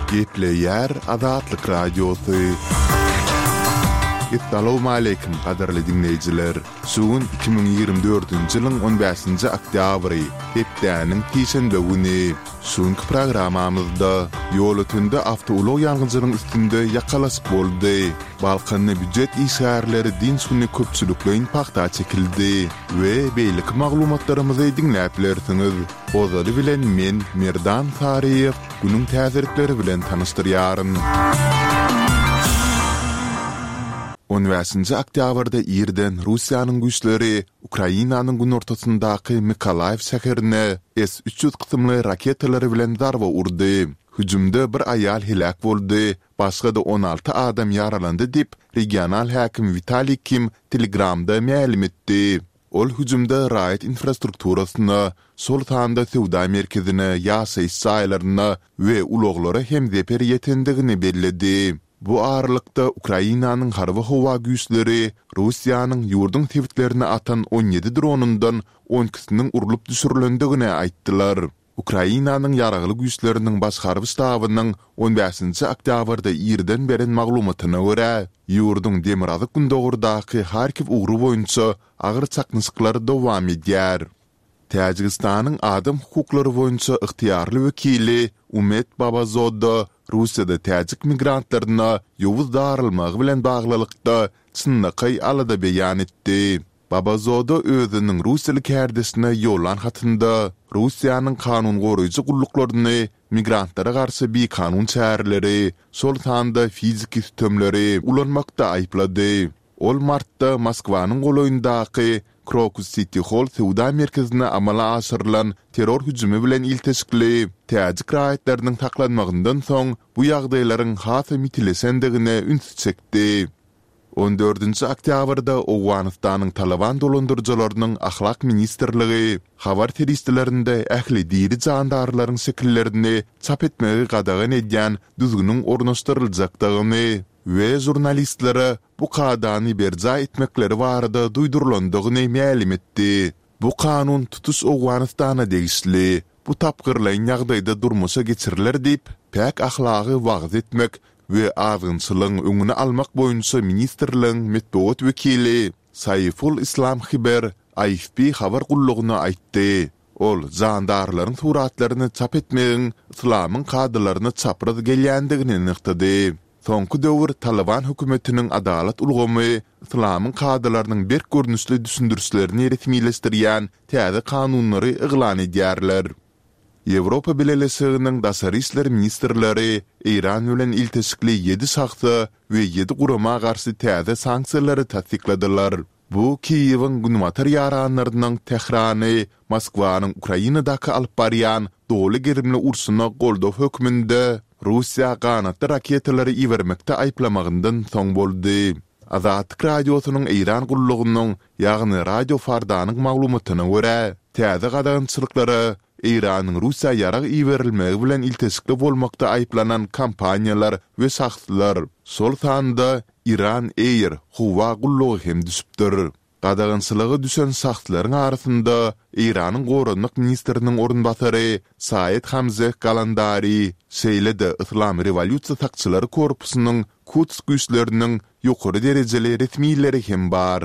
Gepleýär Azatlyk Radiosy. Essalawmaleýkim, gadyrly diňleýjiler! Şu gün 2024-nji ýylyň on bäşinji oktýabry, hepdäniň sişenbe güni. Şu günki programmamyzda Ýolötende awtoulag ýangyjynyň üstünde ýakalaşyk boldy. Balkanda býujet işgärleri dynç güni köpçülikleýin pagta çekildi we beýleki maglumatlarymyzy diňläp bilersiňiz. Ozaly bilen men, Merdan Saryýew, günüň täzelikleri bilen tanyşdyrýaryn. On bäşinji oktýabrda irden Russiýanyň güýçleri Ukrainanyň günortasyndaky Mykolaýiw şäherine S 300 kysymly raketalary bilen zarba urdy. Hüjümde bir aýal heläk boldy, başga-da 16 adam ýaralandy diýip, regional häkim Witaliý Kim Telegramda mälim etdi. Ol hüjümde raýat infrastrukturasyna, şol sanda söwda merkezine, ýaşaýyş jaýlaryna we ulaglara hem zeper ýetendigini belledi. Bu aralykda, Ukrainanyň harby-howa güýçleri Russiýanyň ýurduň sebitlerine atan 17 dronundan on ikisiniň urlup düşürilendigini aýtdylar. Ukrainanyň Ýaragly Güýçleriniň Baş harby ştabynyň on bäşinji oktýabrda irden beren maglumatyna görä, ýurduň demirgazyk-gündogardaky Harkiw ugry boýunça agyr çaknyşyklar dowam edýär. Täjigistanyň adam hukuklary boýunça ygtyýarly wekili Umed Babazoda Russiýada täjik migrantlaryna ýowuz daralmagy bilen baglylykda çynlakaý alada beýan etdi. Babazoda özüniň russiýaly kärdeşine ýollan hatynda Russiýanyň kanun goraýjy gulluklaryny migrantlara garşy bikanun çäreleri, şol sanda fiziki sütemleri ulanmakda aýyplady. Ol martda Moskwanyň golaýyndaky Krokus Siti Holl söwda merkezine amala aşyrylan terror hüjümi bilen ilteşikli täjik raýatlarynyň saklanmagyndan soň bu ýagdaýlaryň hasam ýitileşendigine ünsi çekdi. On dördünji oktýabrda Owganystanyň Talyban dolandyryjylarynyň Ahlak ministrligi habar serişdelerinde ähli diri jandarlaryň şekillerini çap etmegi gadagan edýän düzgüniň ornaşdyryljakdygyny we žurnalistlere bu kadany berjaý etmekleri barada duýdurylandygyny mälim etdi. Bu kanun tutuş Owganystana degişli. Bu tapgyrlaýyn ýagdaýda durmuşa geçiriler diýip, päk ahlagy wagyz etmek we azgynçylygyň öňüni almak boýunça ministrligiň metbugat wekili Saiful Islam Hiber AFP habar gullugyna aýtdy. Ol jandarlaryň suratlaryny çap etmegiň yslamyň kadalaryna çapraz gelýändigini nygtady. Soňky döwür Talyban hökümetiniň adalat ulgamy yslamyň kadalarynyň berk görnüşli düşündirişlerini resmileşdirýän täze kanunlary yglan edýärler. Ýewropa Bileleşiginiň daşary işler ministrleri Eýran bilen ilteşikli ýedi şahsa we ýedi gurama garşy täze sanksiýalary tassykladylar. Bu Kiýewiň günbatar ýaranlarynyň Tährany Moskwanyň Ukrainadaky alyp barýan doly gerimli urşuna goldaw hökmünde Russiýa ganatly raketalary ibermekde aýyplamagyndan soň boldy. Azatlyk Radiosynyň Eýran gullugynyň, ýagny Radio Fardanyň maglumatyna görä, täze gadagançylyklara Eýranyň Russiýa ýarag iberilmegi bilen ilteşikli bolmakda aýyplanan kompaniýalar we şahslar, şol sanda Iran Air howa gullugy hem düşüpdir. Gadagançylyga düşen şahslaryň arasynda Eýranyň goranmak ministriniň orunbasary Saed Hamzeh Galandari, şeýle-de Yslam rewolýusiýa sakçylary korpusynyň Kuds güýçleriniň ýokary derejeli resmileri hem bar.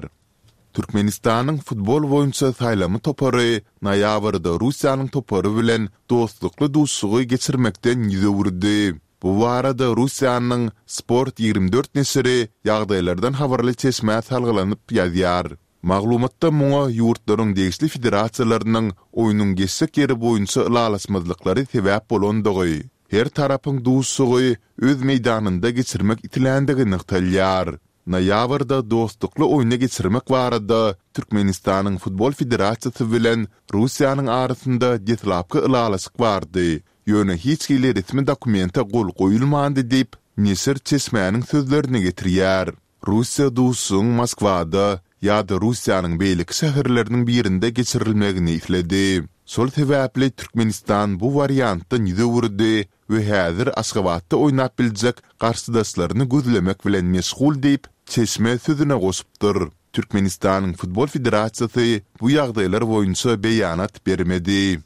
Türkmenistanyň futbol boýunça saýlama topary noýabrda Russiýanyň topary bilen dostlukly duşuşygy geçirmekden ýüz öwürdi. Bu barada Russiýanyň Sport 24 neşiri ýagdaýlardan habarly çeşmä salgylanyp ýazýar. Maglumatda muňa ýurtlaryň degişli federasiýalarynyň oýnuň geçjek ýeri boýunça ylalaşmazlyklary sebäp bolandygy, her tarapyň duşuşygy öz meýdanynda geçirmek isländigi nygtalýar. Noýabrda dostlukly oýny geçirmek barada Türkmenistanyň Futbol federasiýasy bilen Russiýanyň arasynda deslapky ylalaşyk bardy, ýöne hiç hili resmi dokumente gol goýulmandy diýip, neşir çeşmäniň sözlerini getirýär. Russiýa duşuşygyň Moskwada ýa-da Russiýanyň beýleki şäherleriniň birinde geçirilmegini isledi. Şol sebäpli Türkmenistan bu wariantdan ýüz öwürdi we häzir Aşgabatda oýnap biljek garşydaşlaryny gözlemek bilen meşgul diýip, çeşme sözüne goşupdyr. Türkmenistanyň Futbol federasiýasy bu ýagdaýlar boýunça beýanat bermedi.